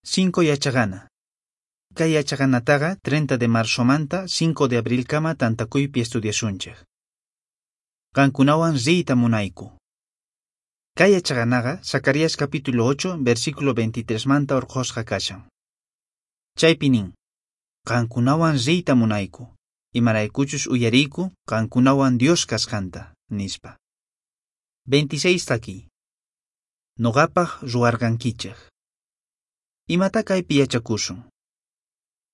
5 yachaqana. Kay yachaqanataqa 30 de marzomanta 5 de abrilkama tantakuypi estudiasunchej. Qankunawan riyta munayku. Kay yachaqanaqa Zacarías capítulo 8 versículo 23 manta urqhusqa kashan. Chaypi nin: Qankunawan riyta munayku, imaraykuchus uyariyku qankunawan Dios kasqanta, nispa. 26 takiy. Noqapaq ruwarqankichej. Imata kaypi yachakusun?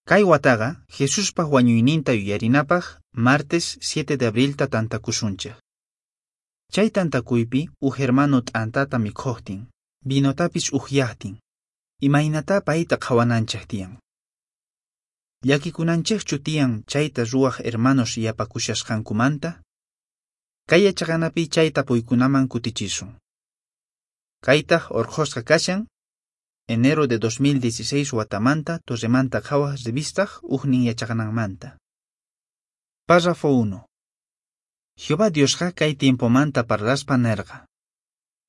Kay wataqa Jesuspaq wañuyninta yuyarinapaq martes 7 de abrilta tantakusunchej. Chay tantakuypi uj hermano t'antata mikhuqtin, vinotapis uhyaqtin, imaynatá payta qhawananchej tiyan. Llakikunanchejchu tiyan chayta ruwaq hermanos yapakushasqankumanta? Kay yachaqanapi chay tapuykunaman kutichisun. Kaytaq urqhusqa kashan enero de 2016 watamanta Torremanta Qhawaq revistaq ujnin yachaqananmanta. Párrafo 1. Jehová Diosqa kay tiempomanta parlaspa nerqa: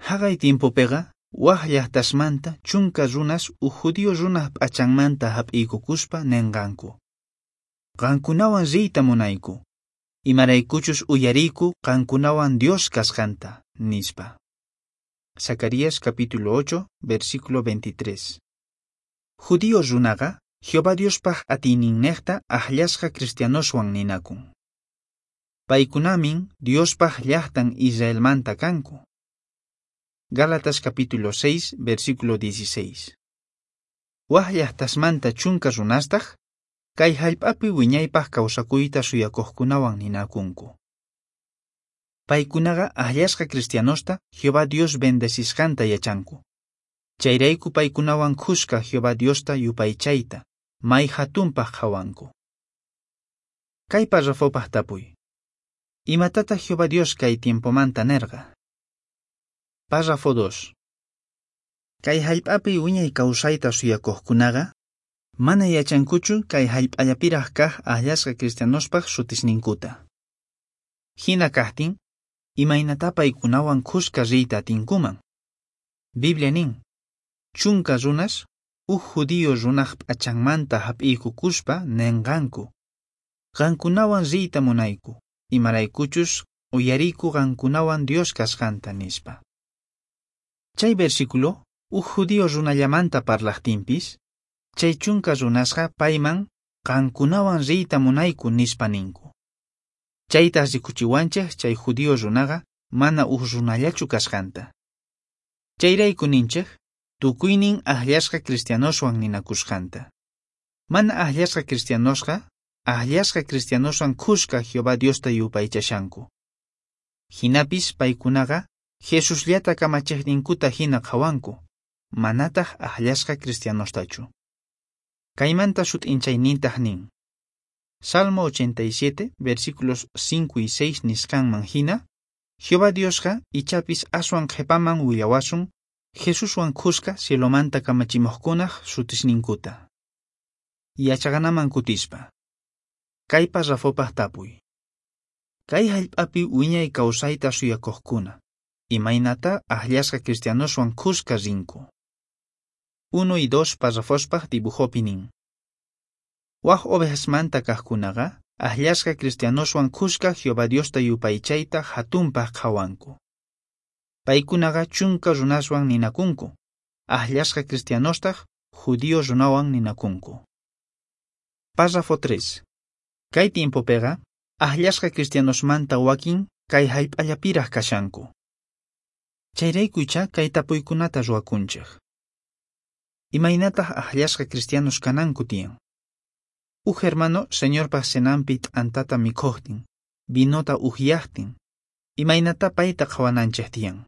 Haqay tiempopiqa waj llaqtasmanta chunka runas uj judío runaj p'achanmanta hap'iykukuspa nenqanku: Qankunawan riyta munayku, imaraykuchus uyariyku qankunawan Dios kasqanta, nispa. Zacarías capítulo 8, versículo 23. Judío runaqa Jehová Diospaq atiyninnejta akllasqa cristianoswan ninakun. Paykunamin Diospaq llaqtan Israelmanta kanku. Gálatas capítulo 6, versículo 16. Waj llaqtasmanta chunka runastaq kay hallp'api wiñaypaq kawsakuyta suyakuqkunawan ninakunku. Paykunaqa akllasqa cristianosta Jehová Dios bendecisqanta yachanku. Chayrayku paykunawan khuska Jehová Diosta yupaychayta may hatunpaq qhawanku. Kay párrafopaq tapuy: Imatataq Jehová Dios kay tiempomanta nerqa? Párrafo 2. Kay hallp'api wiñay kawsayta suyakuqkunaqa mana yachankuchu kay hallp'allapiraq kaq akllasqa cristianospaq sutisninkuta. Hina kaqtin, imaynatá paykunawan khuska riyta atinkuman? Biblia nin: Chunka runas uj judío runaj p'achanmanta hap'iykukuspa nenqanku: Qankunawan riyta munayku, imaraykuchus uyariyku qankunawan Dios kasqanta, nispa. Chay versículo uj judío runallamanta parlaqtinpis, chay chunka runasqa payman qankunawan riyta munayku nispa ninku. Chaytaq rikuchiwanchej chay judío runaqa mana uj runallachu kasqanta. Chayrayku ninchej tukuynin akllasqa cristianoswan ninakusqanta. Mana akllasqa cristianosqa akllasqa cristianoswan khuska Jehová Diosta yupaychashanku. Hinapis paykunaqa Jesusllata kamachiqninkuta hina qhawanku, manataq akllasqa cristianostachu. Kaymanta sut'inchaynintaq nin: Salmo 87, versículos 5 y 6 nisqanman hina, Jehová Diosqa ichapis aswan qhipaman willawasun Jesuswan khuska cielomanta kamachimuqkunaq sutisninkuta. Yachaqanaman kutispa. Kay párrafopaq tapuy: Kay hallp'api wiñay kawsayta suyakuqkuna, imaynatá akllasqa cristianoswan khuska rinku? 1 y 2 párrafospaq dibujopi nin: Waj ovejasmanta kaqkunaqa akllasqa cristianoswan khuska Jehová Diosta yupaychayta hatunpaq qhawanku. Paykunaqa chunka runaswan ninakunku, akllasqa cristianostaq judío runawan ninakunku. Párrafo 3. Kay tiempopiqa akllasqa cristianosmanta wakin kay hallp'allapiraq kashanku. Chayrayku ichá kay tapuykunata ruwakunchej. Imaynataq akllasqa cristianos kananku tiyan? Uj hermano Señorpaq cenanpi t'antata mikhuqtin, vinota uhyaqtin, imaynatá payta qhawananchej tiyan?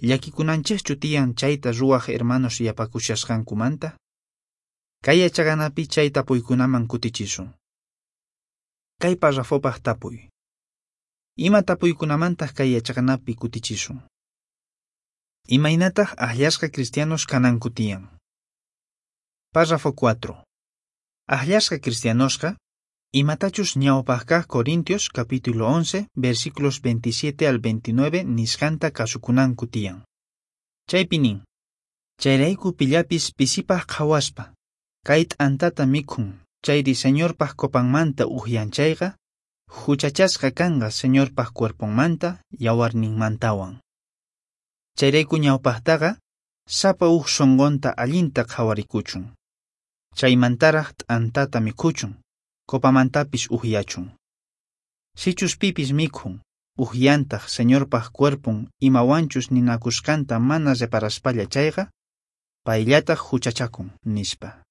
Llakikunanchejchu tiyan chayta ruwaq hermanos yapakushasqankumanta? Kay yachaqanapi chay tapuykunaman kutichisun. Kay párrafopaq tapuy: Ima tapuykunamantaq kay yachaqanapi kutichisun? Imaynataq akllasqa cristianos kananku tiyan? Párrafo 4. Akllasqa cristianosqa imatachus ñawpaq kaq Corintios capítulo 11 versículos 27 al 29 nisqanta kasukunanku tiyan. Chaypi nin: Chayrayku pillapis pisipaj qhawaspa, kay t'antata mikhun chayri Señorpaj copanmanta ujyan chayqa, juchachasqa kanqa Señorpaj cuerponmanta yawarninmantawan. Chayrayku ñawpajtaqa sapa uj sonqonta allinta qhawarikuchun. Chaymantaraj t'antata mikhuchun, copamantapis ujyachun. Sichus pipis mikhun, ujyantaj Señorpaj cuerpon imawanchus ninakusqanta mana reparaspalla chayqa, payllataj juchachakun, nispa.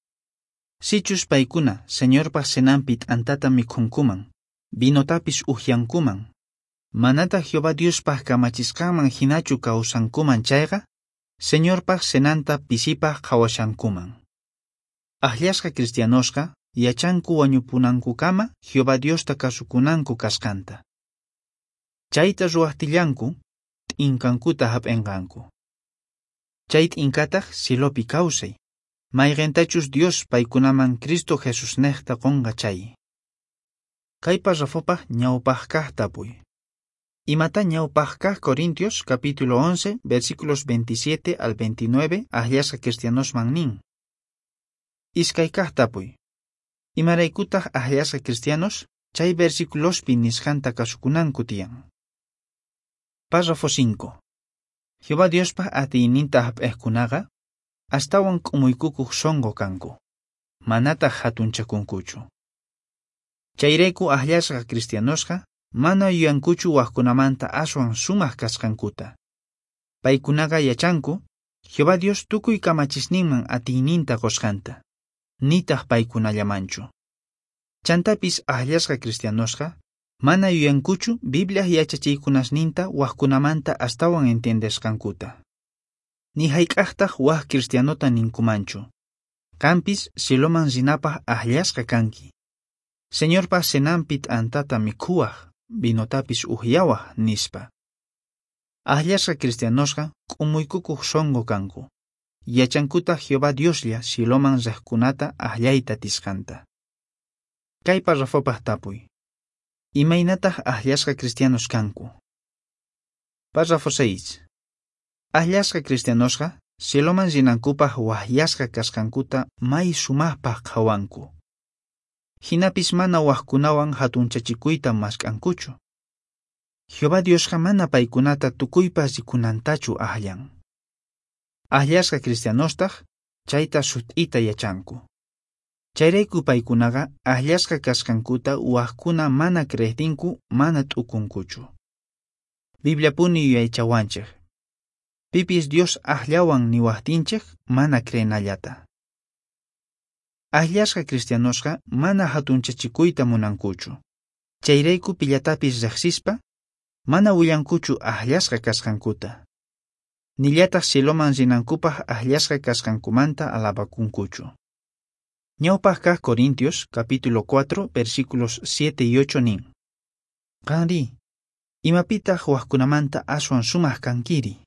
Sichus paykuna Señorpaj cenanpi t'antata mikhunkuman, vinotapis ujyankuman, manataj Jehová Diospaj kamachisqanman hinachu kawsankuman chayqa, Señorpaj cenanta pisipaj qhawashankuman. Ajllasqa cristianosqa yachanku wañupunankukama Jehová Diosta kasukunanku kasqanta. Chayta ruwajtillanku t'inkankuta hap'inqanku. Chay t'inkataj cielopi kawsay, mayqintachus Dios paykunaman Cristo Jesusnejta qonqa chay. Kay parrafopaj ñawpaj kaq tapuy. Imata ñawpaj kaq Corintios capítulo 11 versículos 27 al 29 ajllasqa cristianosman nin. Iskay kaq tapuy. Imaraykutaq ajllasqa cristianos chay versiculospi nisqanta kasukunanku tiyan. Párrafo 5. Jehová Diospaj atiyninta hap'ejkunaqa astawan k'umuykukuq sonqo kanku, manataq hatunchakunkuchu. Chayrayku ajllasqa cristianosqa mana yuyankuchu wajkunamanta aswan sumaq kasqankuta. Paykunaqa yachanku Jehová Dios tukuy kamachisninman atiyninta qusqanta, nitaq paykunallamanchu. Chantapis ajllasqa cristianosqa mana yuyankuchu Bibliaj yachachiykunasninta wajkunamanta astawan entiendesqankuta. Ni hayk'aqtaq waj cristianota ninkumanchu. Qampis cieloman rinapaj ajllasqa kanki. Señorpaj cenanpi t'antata mikhuwaj, vinotapis ujyawaj, nispa. Ajllasqa cristianosqa k'umuykukuq sonqo kanku. Yachankutaq Jehová Dioslla cieloman riqkunata ajllayta atisqanta. Kay parrafopaj tapuy. Imaynataq ajllasqa cristianos kanku? Párrafo 6. Ajllasqa cristianosqa cieloman rinankupaj wajyasqa kasqankuta may sumajpaj qhawanku. Hinapis mana wajkunawan hatunchachikuyta mask'ankuchu. Jehová Diosqa mana paykunata tukuypa rikunantachu ajllan. Ajllasqa cristianostaq chayta sut'ita yachanku. Chayrayku paykunaqa ajllasqa kasqankuta wajkuna mana creejtinku mana t'ukunkuchu. Bibliapuni yuyaychawanchej. Pipis Dios ajllawan niwajtinchej mana creenallata. Ajllasqa cristianosqa mana hatunchachikuyta munankuchu. Chayrayku pillatapis riqsispa mana willankuchu ajllasqa kasqankuta. Nillataq cieloman rinankupaj ajllasqa kasqankumanta alabakunkuchu. Ñawpaj kaq Corintios capítulo 4 versículos 7 y 8 nin. Qanri, imapitaq wajkunamanta aswan sumaq kankiri?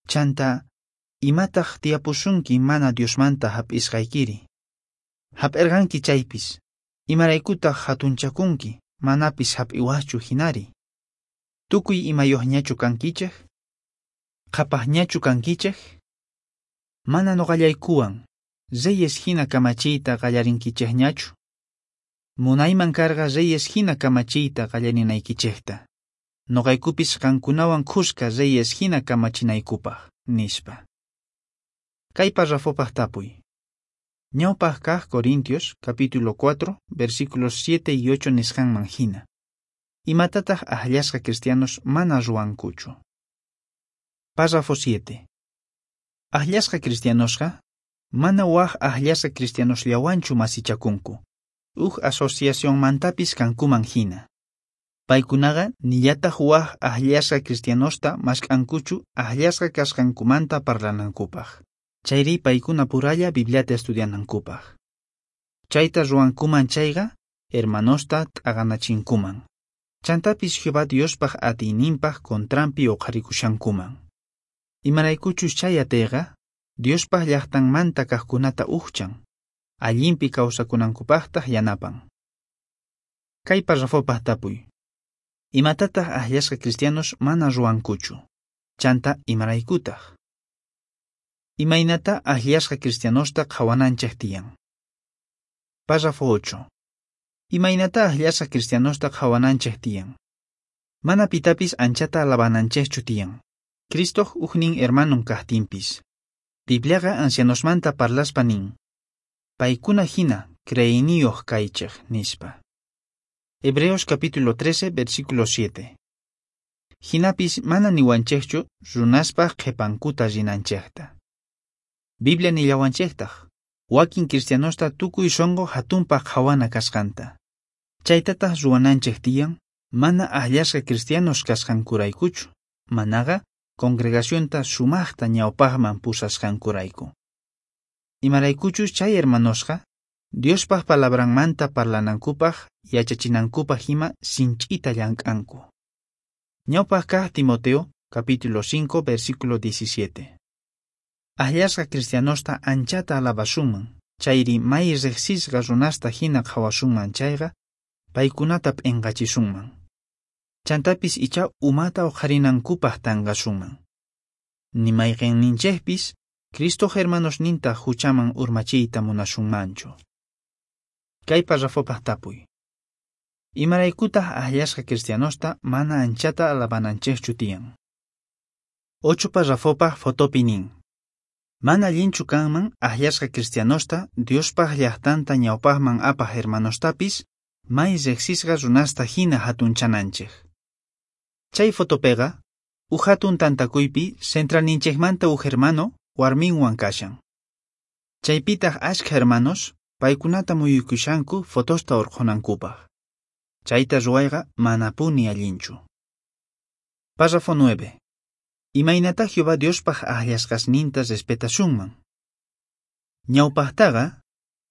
Chanta, imataq tiyapusunki mana Diosmanta hap'isqaykiri? Hap'irqanki chaypis, imaraykutaq hatunchakunki manapis hap'iwaqchu hinari? Tukuy imayuqñachu kankichej? Qhapaqñachu kankichej? Mana nuqallaykuwan reyes hina kamachiyta qallarinkichejñachu? Munayman karqa reyes hina kamachiyta qallarinaykichejta. Nuqaykupis qankunawan khuska reyes hina kamachinaykupaj, nispa. Kay parrafopaj tapuy. Ñawpaj kaq Corintios capítulo 4 versículos 7 y 8 nisqanman hina. Imatataq ajllasqa cristianos mana ruwankuchu? Párrafo 7. Ajllasqa cristianosqa mana waj ajllasqa cristianosllawanchu masichakunku, uj asociacionmantapis kankuman hina. Paykunaqa nillataq waj ajllasqa cristianosta mask'ankuchu ajllasqa kasqankumanta parlanankupaj. Chayri paykuna puralla Bibliata estudianankupaj. Chayta ruwankuman chayqa hermanosta t'aqanachinkuman. Chantapis Jehová Diospaj atiyninpaj contranpi uqharikushankuman. Imaraykuchus chay atiyqa Diospaj llaqtanmanta kaqkunata ujchan, allinpi kawsakunankupaqtaq yanapan. Kay parrafopaj tapuy. Imatataq ajllasqa cristianos mana ruwankuchu? Chanta imaraykutaq? Imaynatá ajllasqa cristianosta qhawananchej tiyan? Párrafo 8. Imaynatá ajllasqa cristianosta qhawananchej tiyan? Mana pitapis anchata alabananchejchu tiyan. Cristoj ujnin hermanon kajtinpis. Bibliaqa ancianosmanta parlaspa nin: "Paykuna jina creeyniyoj kaychej", nispa. Hebreos capítulo 13, versículo 7. Jinapis mana niwanchejchu runaspaj qhepankuta rinanchejta. Biblia nillawanchejtaj wakin cristianosta tukuy sonqo jatunpaj qhawana kasqanta. Chaytataj ruwananchej tiyan mana ajllasqa cristianos kasqankuraykuchu, manaqa congregacionta sumajta ñawpajman pusasqankurayku. Imaraykuchus chay hermanosqa Diospaj palabranmanta parlanankupaj yachachinankupaj ima sinch'ita llank'anku. Ñawpaj kaj Timoteo, capítulo 5, versículo 17. Ajllasqa cristianosta anchata alabasunman, chayri may riqsisqa runasta hina qhawasunman chayqa, paykunata p'inqachisunman. Chantapis ichá umata uqharinankupaj tanqasunman. Ni mayqinninchejpis Cristoj hermanosninta huchaman urmachiyta munasunmanchu. Kay parrafopaj tapuy. Imaraykutaq ajllasqa cristianosta mana anchata alabananchejchu tiyan? 8 parrafopaj fotopi nin: Mana allinchu kanman ajllasqa cristianosta Diospaj llajtanta ñawpajman apaj hermanostapis may riqsisqa runasta hina hatunchananchej. Chay fotopeqa uj hatun tantakuypi centralninchejmanta uj hermano warminwan kashan. Chaypitaq ashkha hermanos paykunata muyuykushanku fotosta urqhunankupaj. Chayta ruwayqa manapuni allinchu. Párrafo 9. Imaynatá Jehová Diospaj ajllasqasninta respetasunman? Ñawpajtaqa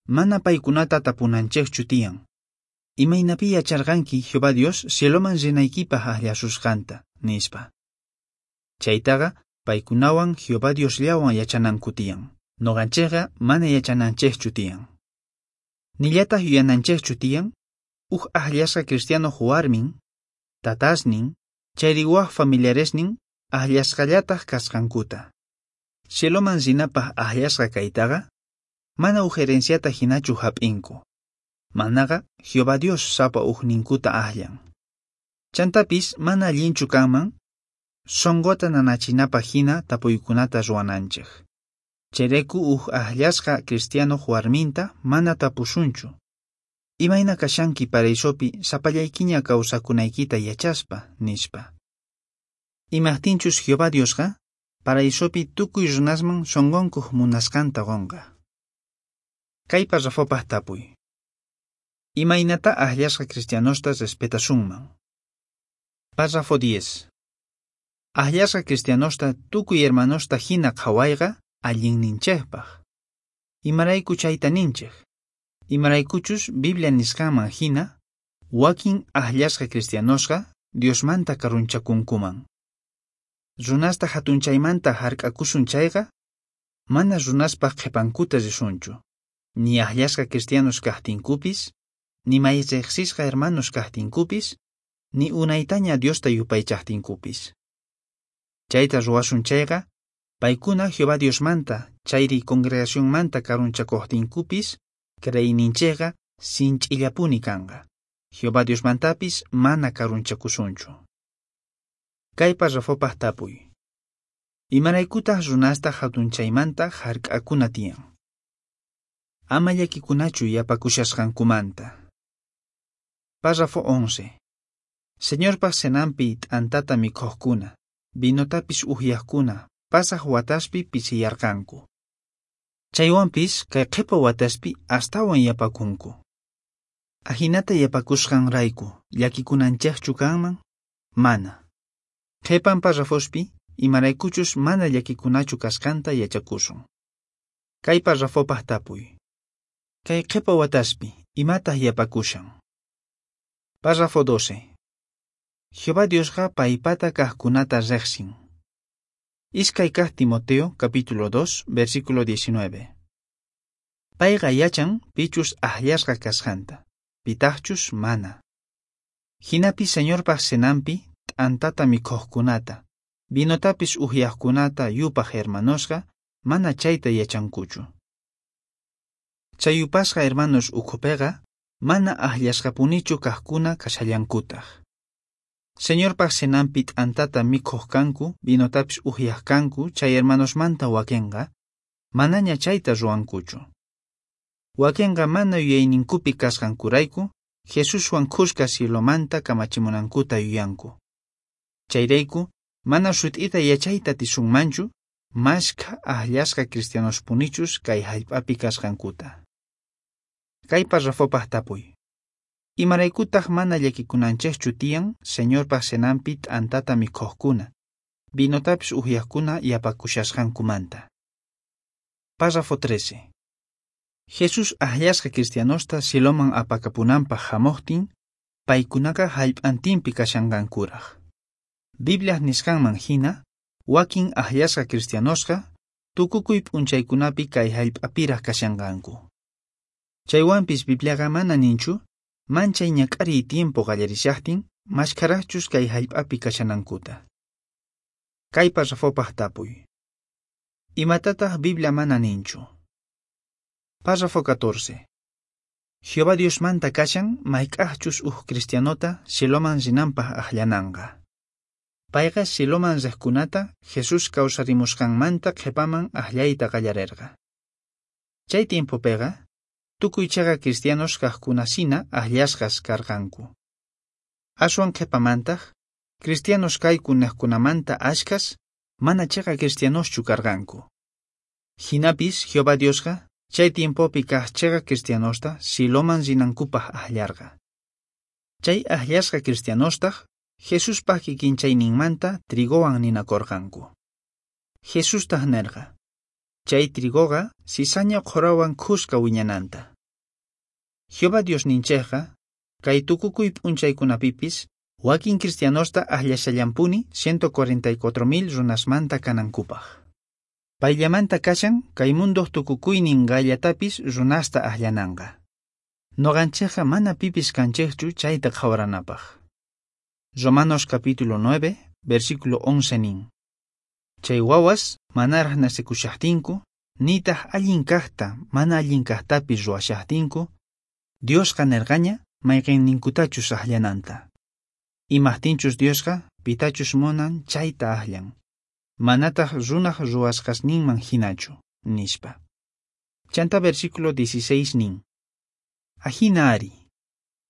mana paykunata tapunanchejchu tiyan: "Imaynapi yacharqanki Jehová Dios cieloman rinaykipaj ajllasusqanta?", nispa. Chaytaqa paykunawan Jehová Diosllawan yachananku tiyan. Noqanchejqa mana yachananchejchu tiyan. Nillataj yuyananchejchu tiyan uj ajllasqa cristianoj warmin, tatasnin, chayri waj familiaresnin ajllasqallataj kasqankuta. Cieloman rinapaj ajllasqa kaytaqa mana uj herenciata hinachu hap'inku. Manaqa Jehová Dios sapa ujninkuta ajllan. Chantapis mana allinchu kanman sonqota nanachinapaj hina tapuykunata ruwananchej. Chayrayku uj ajllasqa cristianoj warminta mana tapusunchu: "Imayna kashanki paraisopi sapallaykiña kawsakunaykita yachaspa?", nispa. Imajtinchus Jehová Diosqa paraisopi tukuy runasman sonqonkuj munasqanta qonqa. Kay parrafopaj tapuy. Imaynatá ajllasqa cristianosta respetasunman? Párrafo 10. Ajllasqa cristianosta tukuy hermanosta hina qhawayqa allinninchejpaj. Imarayku chayta ninchej? Imaraykuchus Biblia nisqanman hina, wakin ajllasqa cristianosqa Diosmanta karunchakunkuman. Runasta hatunchaymanta hark'akusun chayqa, mana runaspaj qhipankuta risunchu, ni ajllasqa cristianos kajtinkupis, ni may riqsisqa hermanos kajtinkupis, ni unaytaña Diosta yupaychajtinkupis. Chayta ruwasun chayqa, paykuna Jehová Diosmanta chayri congregacionmanta karunchakojtinkupis, creeyninchejqa sinch'illapuni kanqa. Jehová Diosmantapis mana karunchakusunchu. Kay parrafopaj tapuy. Imaraykutaq runasta hatunchaymanta hark'akuna tiyan? Ama llakikunachu yapakushasqankumanta. Párrafo 11. Señorpaj cenanpi t'antata mikhojkuna, vinotapis uhyajkuna pasaj wataspi pisiyarqanku. Chaywanpis kay qhipa wataspi astawan yapakunku. Ajinata yapakusqanrayku llakikunanchejchu kanman? Mana. Qhipan parrafospi imaraykuchus mana llakikunachu kasqanta yachakusun. Kay parrafopaj tapuy. Kay qhipa wataspi imataq yapakushan? Párrafo 12. Jehová Diosqa paypata kajkunata riqsin. Iskay kaj Timoteo, capítulo 2, versículo 19. Payqa yachan pichus ajllasqa kasqanta, pitajchus mana. Jinapis Señorpaj cenanpi t'antata mikhojkunata, vinotapis uhyajkunata yupaj hermanosqa mana chayta yachankuchu. Chay yupasqa hermanos ukhupiqa mana ajllasqapunichu kajkuna kashallankutaq. Señorpaq cenanpi t'antata mikhuq kanku, vinotapis uhyaq kanku, chay hermanosmanta wakenqa manaña chayta ruwankuchu. Wakenqa mana yuyayninkupi kasqankurayku Jesuswan khuska cielomanta kamachimunankuta yuyanku. Chayrayku mana sut'ita yachayta atisunmanchu mashkha ajllasqa cristianospunichus kay jallp'api kasqankuta. Kay parrafopaq tapuy. Imaraykutaq mana llakikunanchikchu tiyan Señorpaq cenanpi t'antata mikhuqkuna, vinotapis uhyaqkuna yapakushasqankumanta? Párrafo 13. Jesús ajllasqa cristianosta cieloman apakapunanpaq hamuqtin, paykunaqa jallp'antinpi kashanqankuraq. Bibliaj nisqanman hina, wakin ajllasqa cristianosqa tukukuy p'unchaykunapi kay jallp'apiraq kashanqanku. Chaywanpis Bibliaqa mana ninchu, manchay ñak'ariy tiempo qallarishaqtin, mashkharaqchus kay jallp'api kashanankuta. Kay parrafopaq tapuy. Imatataq Biblia mana ninchu? Párrafo 14. Jehová Diosmanta kashan mayk'aqchus uj cristianota cieloman rinanpaq ajllananqa. Payqa cieloman riqkunata Jesús kawsarimusqanmanta qhipaman ajllayta qallarerqa. Chay tiempopiqa tukuy chiqa cristianos kaqkunasina ajllasqas karqanku. Aswan qhipamantaq cristianos kayku niqkunamanta ashkhas mana chiqa cristianoschu karqanku. Hinapis Jehová Diosqa chay tiempopi kaq chiqa cristianosta cieloman rinankupaq ajllarqa. Chay ajllasqa cristianostaq Jesuspaq kikinchayninmanta trigowan ninakurqanku. Jesustaq nerqa, chay trigoqa cizaña qhurawan khuska wiñananta. Jehová Diosninchikqa kay tukukuy p'unchaykunapipis wakin cristianosta ajllashallampuni 144,000 runasmanta kanankupaq. Payllamanta kashan kay mundoq tukukuynin qayllatapis runasta ajllananqa. Noqanchikqa mana pipis kanchikchu chayta qhawaranapaq. Romanos capítulo 9, versículo 11 nin. Chay wawas manaraq nacekushaqtinku, nitaq allin kaqta mana allin kaqtapis ruwashaqtinku, Diosqa nerqaña mayqinninkutachus ajllananta. Imaqtinchus Diosqa pitachus munan chayta ajllan, manataq runaq ruwasqasninman hinachu, nispa. Chanta versículo 16 nin. Ajina ari,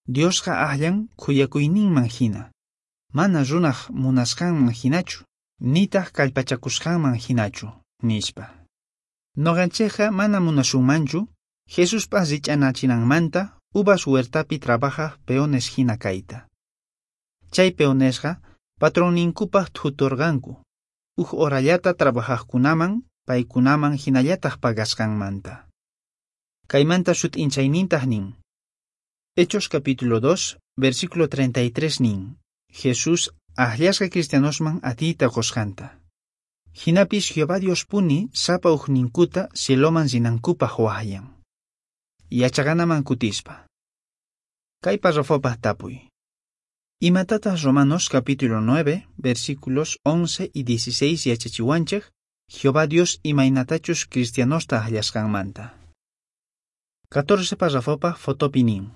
Diosqa ajllan khuyakuyninman hina, mana runaq munasqanman hinachu, nitaq kallpachakusqanman hinachu, nispa. Noqanchikqa mana munasunmanchu Jesuspaq rich'anachinanmanta uvas huertapi trabajaq peones hina kayta. Chay peonesqa patronninkupaq thuturqanku, uj horallata trabajaqkunaman paykunaman hinallataq pagasqanmanta. Kaymanta sut'inchaynintaq nin. Hechos capítulo 2, versículo 33 nin. Jesús ajllasqa cristianosman atiyta qusqanta. Hinapis Jehová Diospuni sapa ujninkuta cieloman rinankupaq waqyan. Yachaqanaman kutispa. Kay parrafopaq tapuy. Imatataq Romanos capítulo 9, versículos 11 y 16 yachachiwanchik Jehová Dios imaynatachus cristianosta ajllasqanmanta. 14 parrafopaq fotopi nin.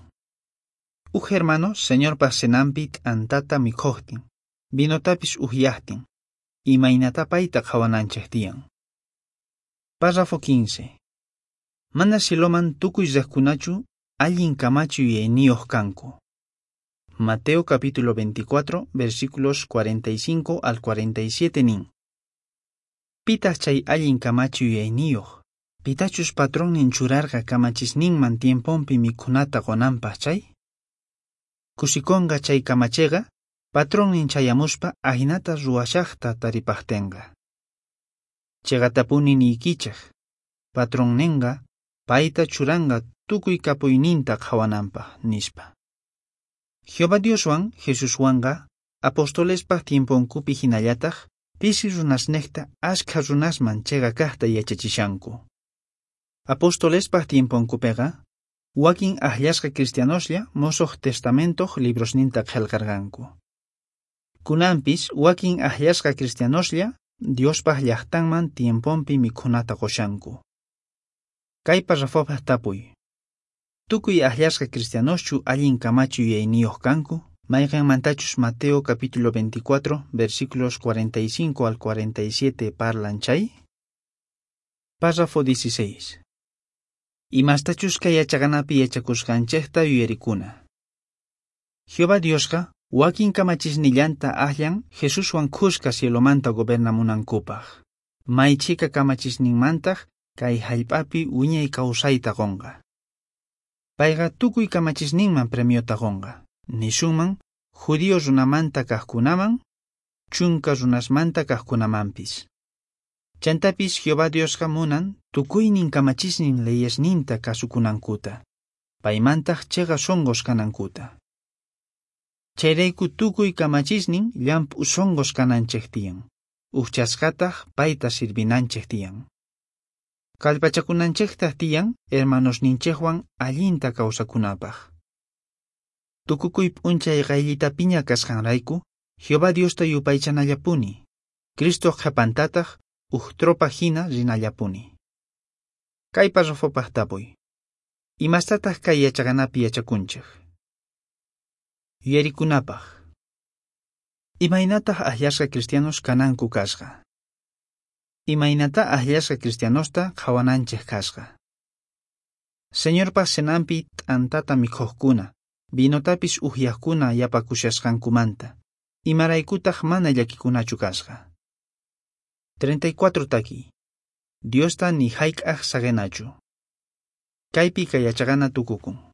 Uj hermano Señorpaq cenanpi t'antata mikhuqtin, vinotapis uhyaqtin, imaynata payta qhawananchik tiyan. Párrafo 15. Mana cieloman tukuy riqkunachu allin kamachi yuyayniyuq kanku. Mateo capítulo 24, versículos 45 al 47 nin. Pitaq chay allin kamachi yuyayniyuq, pitachus patronnin churarqa kamachisninman tiemponpi mikhunata qunanpaq chay? Kusikonqa chay kamachiqa patronnin chayamuspa ajinata ruwashaqta taripaqtinqa. Chiqatapuni niykichik, patronninqa payta churanqa tukuy kapuyninta qhawananpaq, nispa. Jehová Dioswan Jesuswanqa apostolespaq tiemponkupi hinallataq pisi runasniqta ashkha runasman chiqa kaqta yachachishanku. Apostolespaq tiemponkupiqa wakin ajllasqa cristianoslla Mosoq Testamentoq librosninta qillqarqanku. Kunanpis wakin ajllasqa cristianoslla Diospa llajtanman tiemponpi mikhunata qoshanku. Kay parrafopaj tapuy. Tukuy ajllasqa cristianoschu allin kamachi yuyayniyoj kanku? Mayqenmantachus Mateo capítulo 24, versículos 45 al 47 parlan chay? Párrafo 16. Imastachus kay yachaqanapi yachakusqanchejta yuyarikuna. Jehová Diosqa wakin kamachisnillanta ajllan Jesuswan khuska cielomanta gobernamunankupaj. May chhika kamachisninmantaj kay jallp'api wiñay kawsayta qonqa. Payqa tukuy kamachisninman premiota qonqa. Nisunman judío runamanta kajkunaman, chunka runasmanta kajkunamanpis. Chantapis Jehová Diosqa munan tukuynin kamachisnin leyesninta kasukunankuta, paymantaj cheqa sonqos kanankuta. Chayrayku tukuy kamachisnin llamp'u sonqos kananchej tiyan, ujchasqataj payta sirvinanchej tiyan. Kallpachakunanchejtaj tiyan hermanosninchejwan allinta kawsakunapaj. Tukukuy p'unchay qayllitapiña kasqanrayku, Jehová Diosta yupaychanallapuni, Cristoj qhepantataj uj tropa hina rinallapuni. Kay parrafopaj tapuy. Imastataj kay yachaqanapi yachakunchej? Yuyarikunapaj. Imaynataj ajllasqa cristianos kananku kasqa? Imaynata ajllasqa cristianosta qhawananchej kasqa? Señorpa cenanpi t'antata mikhojkuna, vinotapis ujyajkuna yapakushasqankumanta, imaraykutaj mana llakikunachu kasqa? 34 takiy. Diosta ni jayk'aj saqenachu. Kaypi kay yachaqana tukukun.